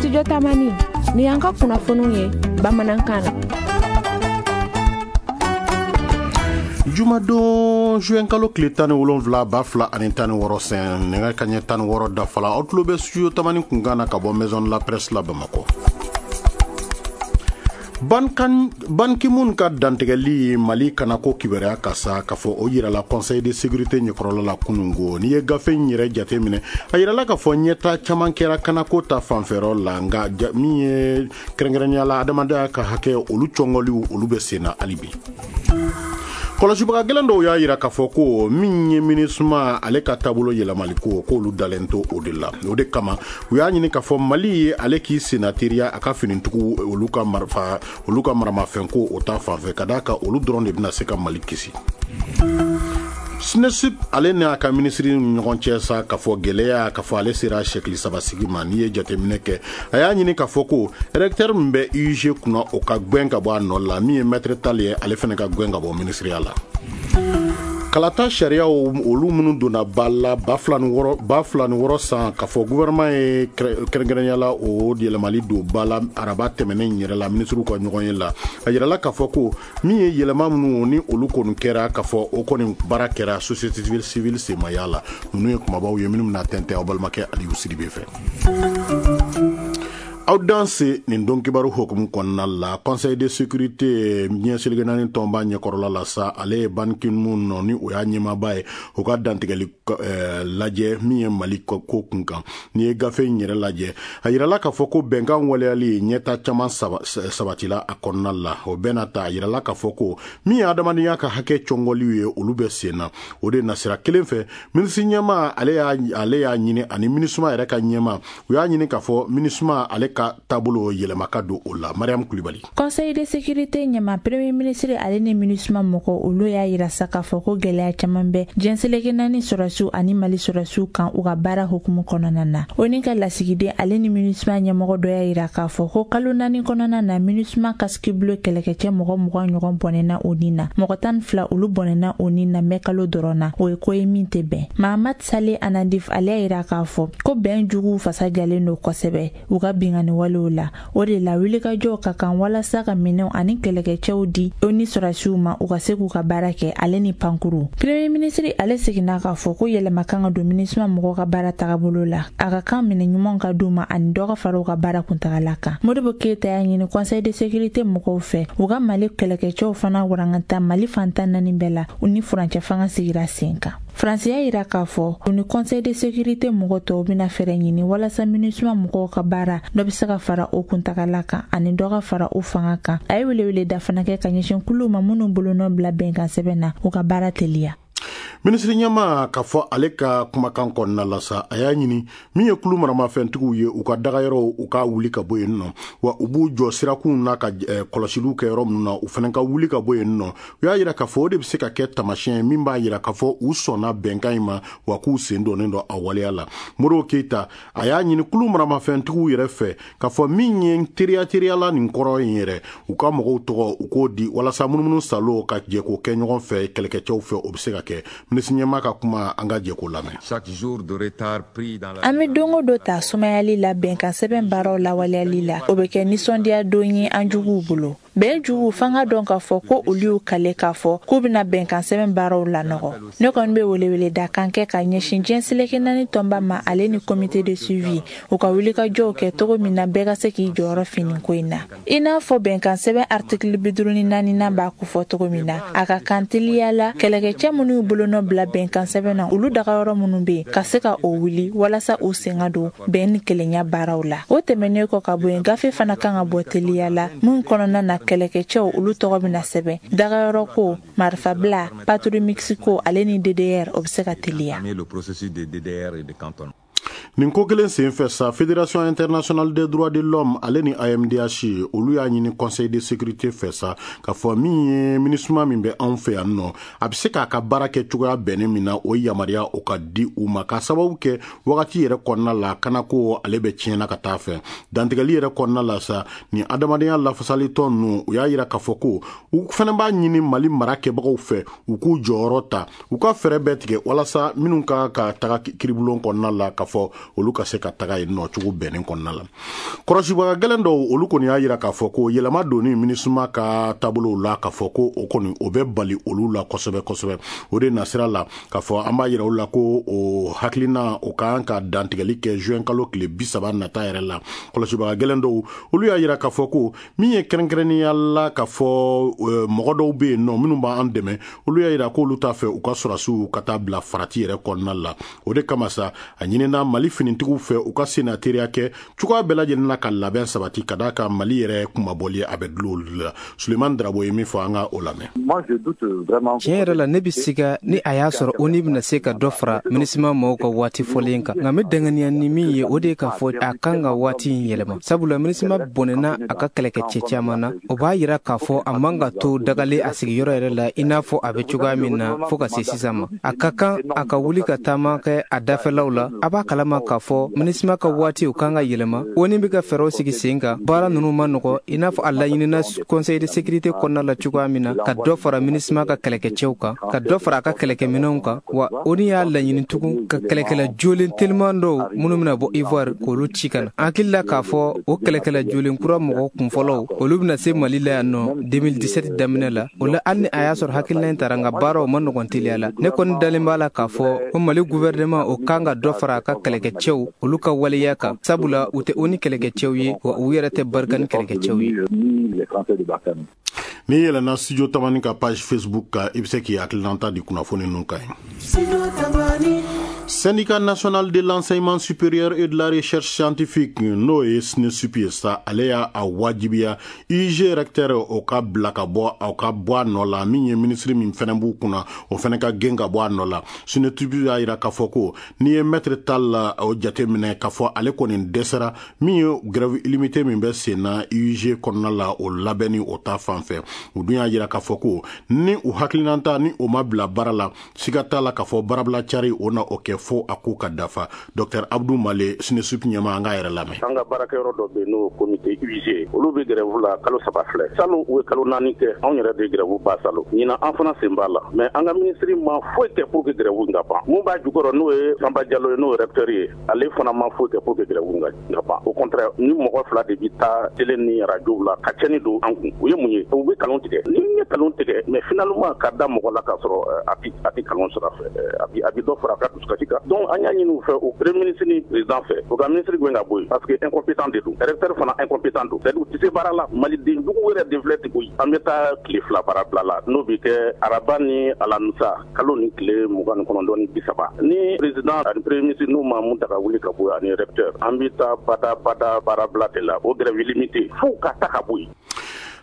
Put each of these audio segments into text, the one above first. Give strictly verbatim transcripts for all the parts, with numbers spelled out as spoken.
Studio Tamani, ni y'an ka kunnafoniw ye bamanankan na. Jumadon juin kalo tile tan ni wolonwula ba fila ani tan ni wɔɔrɔ sɛn nɛgɛ kaɲɛ tan ni wɔɔrɔ dafala, aw tulo bɛ Studio Tamani kunkan na ka bɔ Maison de la Presse la Bamakɔ. Ban Ki-moon ka dantigɛli Mali kanako kibaruya ka sa k'a fɔ o yirala Conseil de sécurité ɲɛkɔrɔla la kunungo. N'i ye gafe in yɛrɛ jate minɛ, a yirala k'a fɔ ɲɛta caman kɛra kanako ta fanfɛyɔrɔ la, nka min ye kɛrɛnkɛrɛnnenya la adamadenya ka hakɛ olu cɔngɔliw olu bɛ sen na hali bi. Kɔlɔsibaga gɛlɛn dɔw y'a yira k'a fɔ ko min ye MINUSMA ale ka taabolo yɛlɛmali ko k'olu dalen to o de la. O de kama u y'a ɲini k'a fɔ Mali ye ale k'i senna teriya a ka finitigiw olu ka marifa olu ka maramafɛn ko o ta fanfɛ, ka d'a kan olu dɔrɔn de bɛna se ka Mali kisi. SNESIP ale n'a ka minisiri ni ɲɔgɔn cɛ sa k'a fɔ gɛlɛya k'a fɔ ale sera sɛkili saba sigi ma. N'i ye jateminɛ kɛ, a y'a ɲini k'a fɔ ko recteur min bɛ U I G kunna o ka gɛn ka bɔ a nɔ la, min ye maître Tall ye ale fana ka gɛn ka bɔ minisiriya la. Kalata sariyaw olu minnu donna ba la ba fila ni wɔɔrɔ ba fila ni wɔɔrɔ san k'a fɔ gouvernement ye kɛrɛnkɛrɛnnenya la o yɛlɛmali don ba la araba tɛmɛnen yɛrɛ la minisiriw ka ɲɔgɔn ye la. A yirala k'a fɔ ko min ye yɛlɛma minnu ni olu kɔni kɛra k'a fɔ o kɔni baara kɛra société civile senmaya la. Ninnu ye kumabaw ye minnu bɛna tɛntɛn aw balimakɛ Aliyu Sidibe fɛ. Aw danse nin don kibaru hukumu kɔnɔna la, Conseil de sécurité diɲɛ seleke naani tɔnba ɲɛkɔrɔla la sa, ale ye Ban Ki-moon nɔ ni o y'a ɲɛmaaba ye o ka dantigɛli lajɛ min ye Mali ko kun kan. N'i ye gafe in yɛrɛ lajɛ, a yirala k'a fɔ ko bɛnkan waleyali ɲɛta caman sabatila a kɔnɔna la. O bɛɛ n'a ta, a yirala k'a fɔ ko min ye adamadenya ka hakɛ cɔngɔliw ye olu bɛ sen na. O de nasira kelen fɛ, minisiri ɲɛmaa ale y'a ale y'a ɲini ani MINUSMA yɛrɛ ka ɲɛmaa u y'a ɲini k'a fɔ MINUSMA ale ka taabolo yɛlɛma ka don o la. Mariam Kulibali. Conseil de sécurité ɲɛma premier ministre ale ni MINUSMA mɔgɔ olu y'a yira sa k'a fɔ ko gɛlɛya caman bɛ diɲɛ seleke naani sɔrɔsiw ani Mali sɔrɔsiw kan u ka baara hukumu kɔnɔna na. O ni ka lasigiden ale ni MINUSMA ɲɛmɔgɔ dɔ y'a yira k'a fɔ ko kalo naani kɔnɔna na MINUSMA casque bleu kɛlɛkɛcɛ mɔgɔ mugan ɲɔgɔn bɔnɛna o ni na, mɔgɔ tan ni fila olu bɔnɛna o ni na mɛ kalo dɔrɔn na. O ye ko ye min tɛ bɛn. Mahamat Saleh Anadif ale y'a yira k'a fɔ ko bɛn juguw fasa jalen don kosɛbɛ u ka binkanni walew la. O de la wulikajɔw ka kan walasa ka minɛnw ani kɛlɛkɛcɛw di o ni sɔrɔsiw ma u ka se k'u ka baara kɛ ale ni pankuru. Premier ministre ale seginna k'a fɔ ko yɛlɛma kan ka don MINUSMA mɔgɔw ka baara tagabolo la, a ka kan minɛ ɲumanw ka d'u ma ani dɔ ka fara u ka baara kuntagala kan. Modibo Keyita y'a ɲini Conseil de sécurité mɔgɔw fɛ u ka Mali kɛlɛkɛcɛw fana warangata Mali fantan naani bɛɛ la u ni furancɛ fanga sigira sen kan. Faransi y'a yira k'a fɔ u ni Conseil de sécurité mɔgɔ tɔw bɛna fɛɛrɛ ɲini walasa MINUSMA mɔgɔw ka baara dɔ bɛ se ka fara o kuntagala kan ani dɔ ka fara o fanga kan. A ye weleweleda fana kɛ ka ɲɛsin kuluw ma minnu bolonɔ bila bɛnkan sɛbɛn na u ka baara teliya. Minisiri ɲɛmaa k'a fɔ ale ka kumakan kɔnɔna la sa, a y'a ɲini min ye kulu maramafɛntigiw ye u ka dagayɔrɔw u ka wuli ka bɔ yen nɔ, wa u b'u jɔ sirakunw na ka kɔlɔsiliw kɛ yɔrɔ minnu na u fana ka wuli ka bɔ yen nɔ. U y'a yira k'a fɔ o de bɛ se ka kɛ taamasiyɛn ye min b'a yira k'a fɔ u sɔnna bɛnkan in ma wa k'u sen donnen don a waleya la. Modibo Keyita a y'a ɲini kulu maramafɛntigiw yɛrɛ fɛ k'a fɔ min ye teriya teriyala nin kɔrɔ in yɛrɛ, u ka mɔgɔw tɔgɔ u k'o di walasa munumunu salo ka jɛ k'o kɛ ɲɔgɔn fɛ kɛlɛkɛcɛw fɛ, o bɛ se ka kɛ. Minisiri ɲɛmaa ka kuma an ka jɛ k'o lamɛn. An bɛ don o don ta sumayali la bɛnkan sɛbɛn baaraw lawaleyali la, o bɛ kɛ nisɔndiya don ye an juguw bolo. Bɛn jugu f'an ka dɔn k'a fɔ ko olu y'u kale k'a fɔ k'u bɛna bɛnkan sɛbɛn baaraw lanɔgɔ. Ne kɔni bɛ weleweleda kan kɛ ka ɲɛsin diɲɛ seleke naani tɔnba ma ale ni comité de suivi u ka wulikajɔw kɛ cogo min na bɛɛ ka se k'i jɔyɔrɔ fini ko in na. I n'a fɔ bɛnkan sɛbɛn article bi duuru ni naaninan b'a kofɔ cogo min na, a ka kan teliya la kɛlɛkɛcɛ minnu y'u bolonɔ bila bɛnkan sɛbɛn na olu dagayɔrɔ minnu bɛ yen ka se ka o wuli walasa u sen ka don bɛn ni kelenya baaraw la. O tɛmɛnen kɔ ka bɔ yen, gafe fana kan ka bɔ teliya la min kɔnɔna na kɛlɛkɛcɛw olu tɔgɔ bɛna sɛbɛn dagayɔrɔ ko, marifabila, patrouille mixte ko ale ni D D R o bɛ se ka teliya. Nin ko kelen senfɛ sa, Fédération internationale des droits de l'homme ale ni A M D H olu y'a ɲini Conseil de sécurité fɛ sa k'a fɔ min ye MINUSMA min bɛ anw fɛ yan nɔ, a bɛ se k'a ka baara kɛ cogoya bɛnnen min na, o yamaruya o ka di u ma, k'a sababu kɛ wagati yɛrɛ kɔnɔna la kanako ale bɛ tiɲɛna ka taa fɛ. Dantigɛli yɛrɛ kɔnɔna la sa, nin adamadenya lafasalitɔn ninnu u y'a yira k'a fɔ ko u fana b'a ɲini Mali mara kɛbagaw fɛ u k'u jɔyɔrɔ ta, u ka fɛɛrɛ bɛɛ tigɛ walasa minnu ka ka taga kiribulon kɔnɔna la k'a fɔ olu ka se ka taga yen nɔ cogo bɛnnen kɔnɔna la. Kɔlɔsibaga gɛlɛn dɔw olu kɔni y'a jira k'a fɔ ko yɛlɛma donni MINUSMA ka taabolow la k'a fɔ ko o kɔni o bɛ bali olu la kosɛbɛ kosɛbɛ. O de nasira la k'a fɔ an b'a jira olu la ko o hakilina o kan ka dantigɛli kɛ juin kalo tile bi saba nata yɛrɛ la. Kɔlɔsibaga gɛlɛn dɔw olu y'a jira k'a fɔ ko min ye kɛrɛnkɛrɛnnenya la k'a fɔ mɔgɔ dɔw bɛ yen nɔ minnu b'an dɛmɛ, olu y'a jira k'olu t'a fɛ u ka sɔrɔdasiw ka taa bila farati yɛrɛ kɔnɔna la. O de kama sa a ɲinina Mali finitigiw fɛ u ka senna teriya kɛ cogoya bɛɛ lajɛlen na ka labɛn sabati ka d'a kan Mali yɛrɛ kunmabɔli a bɛ dulon olu la. Sulemani Darabo ye min fɔ, an ka o lamɛn. Tiɲɛ yɛrɛ la, ne bɛ siga ni a y'a sɔrɔ O N U bɛna se ka dɔ fara MINUSMA mɔgɔw ka waati fɔlen kan, nka n bɛ danganiya ni min ye, o de ye k'a fɔ a kan ka waati in yɛlɛma, sabula MINUSMA bɔnɛna a ka kɛlɛkɛcɛ caman na. O b'a yira k'a fɔ a man ka to dagalen a sigiyɔrɔ yɛrɛ la i n'a fɔ a bɛ cogoya min na fo ka se sisan ma. A ka kan a ka wuli ka taama kɛ a dafɛlaw la. A b'a kalama k'a fɔ MINUSMA ka waati o kan ka yɛlɛma. O N U bɛ ka fɛɛrɛw sigi sen kan. Baara ninnu ma nɔgɔ i n'a fɔ a laɲinina Conseil de sécurité kɔnɔna la cogoya min na, ka dɔ fara MINUSMA ka kɛlɛkɛcɛw kan, ka dɔ fara a ka kɛlɛkɛminɛnw kan. Wa O N U y'a laɲini tugun ka kɛlɛkɛla jolen teliman dɔw minnu bɛna bɔ Ivoire k'olu ci ka na. An hakili la k'a fɔ o kɛlɛkɛla jolen kura mɔgɔ kunfɔlɔw olu bɛna se Mali la yan nɔ deux mille dix-sept daminɛ la. O la, hali ni a y'a sɔrɔ hakilina in taara, nka baaraw ma nɔgɔn teliya la. Ne kɔni dalen b'a la k'a fɔ ko Mali gouvernement o kan ka dɔ fara a ka kɛlɛkɛcɛw olu ka waleya kan, sabula u tɛ O N U kɛlɛkɛcɛw ye, wa u yɛrɛ tɛ Barkhane kɛlɛkɛcɛw ye. N'i yɛlɛnna Studio Tamani ka page Facebook kan, i bɛ se k'i hakilinata di kunnafoni ninnu kan. Syndicat national de l'enseignement supérieur et de la recherche scientifique, n'o ye SNESUP ye sa, ale y'a a wajibiya I U G recteur o ka bila ka bɔ, o ka bɔ a nɔ la. Min ye ministre min fɛnɛ b'u kunna, o fɛnɛ ka gɛn ka bɔ a nɔ la. SNESUP y'a jira k'a fɔ ko n'i ye maître Tall la o jateminɛ k'a fɔ ale kɔni dɛsɛra min ye grève illimité min bɛ sen na I U G kɔnɔna la, o labɛnni o ta fan fɛ. U dun y'a jira k'a fɔ ko ni u hakilinata ni o ma bila baara la, siga t'a la k'a fɔ baarabila cari o na o kɛ fo a ko ka dafa. Docteur Abdou Male, SNESUP ɲɛma, an k'a yɛrɛ lamɛn. An ka baarakɛyɔrɔ dɔ bɛ yen, n'o comité U I G, olu bɛ grève la kalo saba filɛ. Salon u ye kalo naani kɛ, anw yɛrɛ de grève ba salon. Ɲinan an fana sen b'a la, mais an ka ministre ma foyi kɛ pour que grève in ka ban. Mun b'a jukɔrɔ, n'o ye Sanba Jalo ye, n'o ye recteur ye, ale fana ma foyi kɛ pour que grève in ka ban. Au contraire, ni mɔgɔ fila de bɛ taa télé ni radio la ka tiɲɛni don an kun. U ye mun ye? U bɛ kalon tigɛ. Ni ye kalon tigɛ, mais finalement ka da mɔgɔ la k'a sɔrɔ a ti a ti kalon sɔrɔ a fɛ, a bi a bi dɔ fara a ka dusukasi kan. Donc an y'a ɲini u fɛ, o premier ministre ni président fɛ, u ka ministre gɛn ka bɔ yen, parce que incompétent de don, recteur fana incompétent don, c'est à dire u tɛ se baara la. Maliden jugu yɛrɛ de filɛ ten koyi. An bɛ taa tile fila baara bila la, n'o bɛ kɛ araba ni alamisa, kalo ni tile mugan ni kɔnɔntɔn ni bi saba. Ni président ani premier ministre n'u ma mun ta ka wuli ka bɔ yen ani recteur, an bɛ taa bada bada baara bila de la, o grève illimité fo ka ta ka bɔ yen.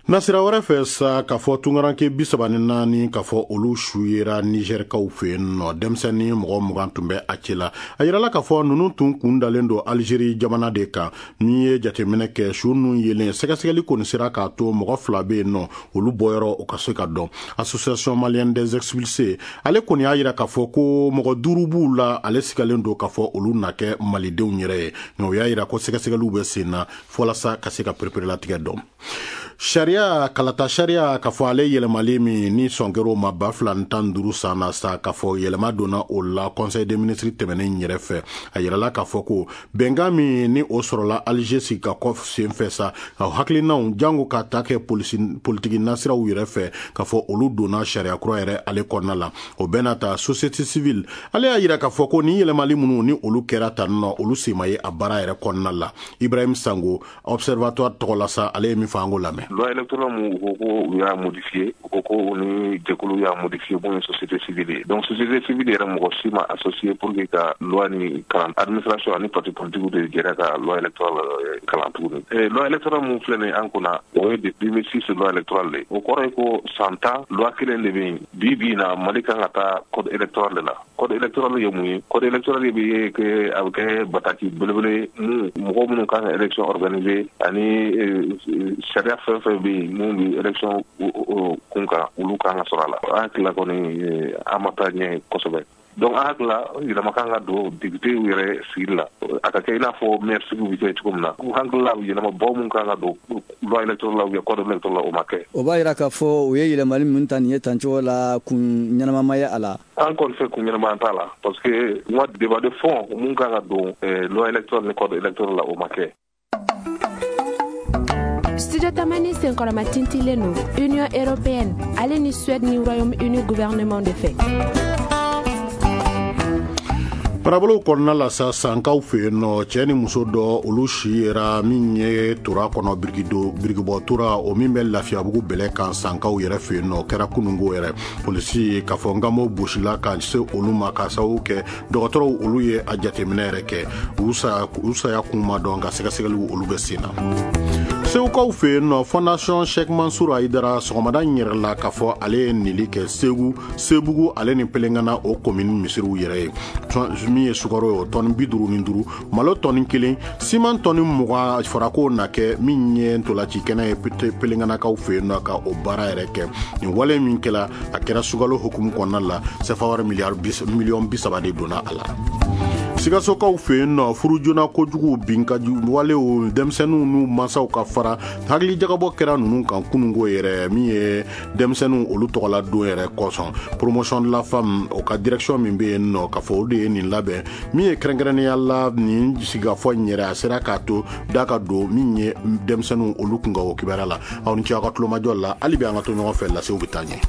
Nasira wɛrɛ fɛ sa, k'a fɔ tungaranke bi saba ni naani k'a fɔ olu su yera Nizɛrikaw fɛ yen nɔ. Denmisɛnnin mɔgɔ mugan tun bɛ a cɛ la. A yirala k'a fɔ ninnu tun kun dalen don Alizeri jamana de kan. N'i ye jateminɛ kɛ, su ninnu yelen sɛgɛsɛgɛli kɔni sera k'a to mɔgɔ fila bɛ yen nɔ, olu bɔyɔrɔ o ka se ka dɔn. Association malienne des expulsés, ale kɔni y'a yira k'a fɔ ko mɔgɔ duuru b'u la, ale sigalen don k'a fɔ olu na kɛ malidenw yɛrɛ ye, nka o y'a yira ko sɛgɛsɛgɛliw bɛ sen na walasa ka se ka pereperelatigɛ dɔn. Sariya kalata sariya k'a fɔ ale yɛlɛmali min ni sɔn kɛr'o ma ba fila ni tan duuru san na sa, k'a fɔ yɛlɛma donna o la conseil des ministres tɛmɛnen yɛrɛ fɛ. A yirala k'a fɔ ko bɛnkan min ni o sɔrɔla Alger sigi ka kɔ sen fɛ sa, ka hakilinaw jango ka ta kɛ politiki nasiraw yɛrɛ fɛ, k'a fɔ olu donna sariya kura yɛrɛ ale kɔnɔna la. O bɛɛ n'a ta, société civile ale y'a yira k'a fɔ ko ni yɛlɛmali minnu ni olu kɛra tan nɔ, olu sen ma ye a baara yɛrɛ kɔnɔna la. Ibrahim Sango, observatoire tɔgɔ la sa, ale ye min fɔ, an k'o lamɛn. Loi électorale mun u ko ko u y'a modifié, u ko ko u ni jɛkulu y'a modifié mun ye société civile ye. Donc société civile yɛrɛ, mɔgɔ si ma associé pour que ka loi ni kalan. Administration ani parti politique de jɛra ka loi électorale kalan tuguni. Loi électorale mun filɛ nin ye an kunna, o ye de deux mille six loi électorale de. O kɔrɔ ye ko san tan loi kelen de bɛ yen. Bi bi in na, Mali kan ka taa code électoral de la. Code électoral ye mun ye? Code électoral bɛ ye kɛ a bɛ kɛ bataki belebele mun mɔgɔ minnu kan ka élection organiser ani sariya fɛn fɛn bɛ yen mun bɛ élection kun kan, olu kan ka sɔrɔ a la. An hakili la kɔni, an ma taa ɲɛ kosɛbɛ. Donc an hakili la, yɛlɛma kan ka don député yɛrɛ sigili la, a ka kɛ i n'a fɔ maire sigiw bɛ kɛ cogo min na. U hakili la, yɛlɛmabaw mun kan ka don loi électorale la ou bien code électoral la, o ma kɛ. O b'a yira k'a fɔ u ye yɛlɛmali min ta nin ye tancogo la, kun ɲɛnamama ye a la. An kɔni fɛ, kun ɲɛnama t'a la, parce que n ka débat de fond mun kan ka don loi électorale ni code électoral la, o ma kɛ. Studio Tamani senkɔrɔma tintilen don Union européenne ale ni Suède ni Royaume-Uni gouvernement de fɛ. Marabolow kɔnɔna la sa, Sankaw fɛ yen nɔ, cɛɛ ni muso dɔ, olu si yera min ye tora kɔnɔ, birikido birikibɔ tora o min bɛ Lafiyabugu bɛlɛ kan, Sankaw yɛrɛ fɛ yen nɔ. O kɛra kunungo yɛrɛ. Polisi k'a fɔ ngamɔ gosila ka se olu ma ka sababu kɛ dɔgɔtɔrɔw olu ye a jateminɛ yɛrɛ kɛ. U saya u saya kun ma dɔn, ka sɛgɛsɛgɛliw olu bɛ sen na. Segukaw fɛ yen nɔ, Fondation Cheikh Mansour Haidara, sɔgɔmada in yɛrɛ la k'a fɔ ale ye nili kɛ Segu, Sebugu ale ni Pelengana o komini misiriw yɛrɛ ye. Min ye sukaro ye, o tɔni bi duuru ni duuru, malo tɔni kelen, siman tɔni mugan farako na kɛ min ye ntolaci kɛnɛ ye Pelenganakaw fɛ yen nɔ, ka o baara yɛrɛ kɛ. Nin wale min kɛla, a kɛra sukalo hukumu kɔnɔna la. Sefa wari miliyari miliyɔn bi saba de donna a la. Sikasokaw fɛ yen nɔ, furu joona kojugu, binka walew, denmisɛnninw n'u mansaw ka fara, hakilijagabɔ kɛra ninnu kan kunungo yɛrɛ, min ye denmisɛnninw olu tɔgɔla don yɛrɛ kosɔn. Promotion de la femme o ka direction min bɛ yen nɔ, k'a fɔ o de ye nin labɛn min ye kɛrɛnkɛrɛnnenya la. Nin sigikafɔ in yɛrɛ, a sera k'a to da ka don min ye denmisɛnninw olu kun ka o kibaruya la. Aw ni ce aw ka tulomajɔ la. Hali bi an ka to ɲɔgɔn fɛ, lasew bɛ taa ɲɛ.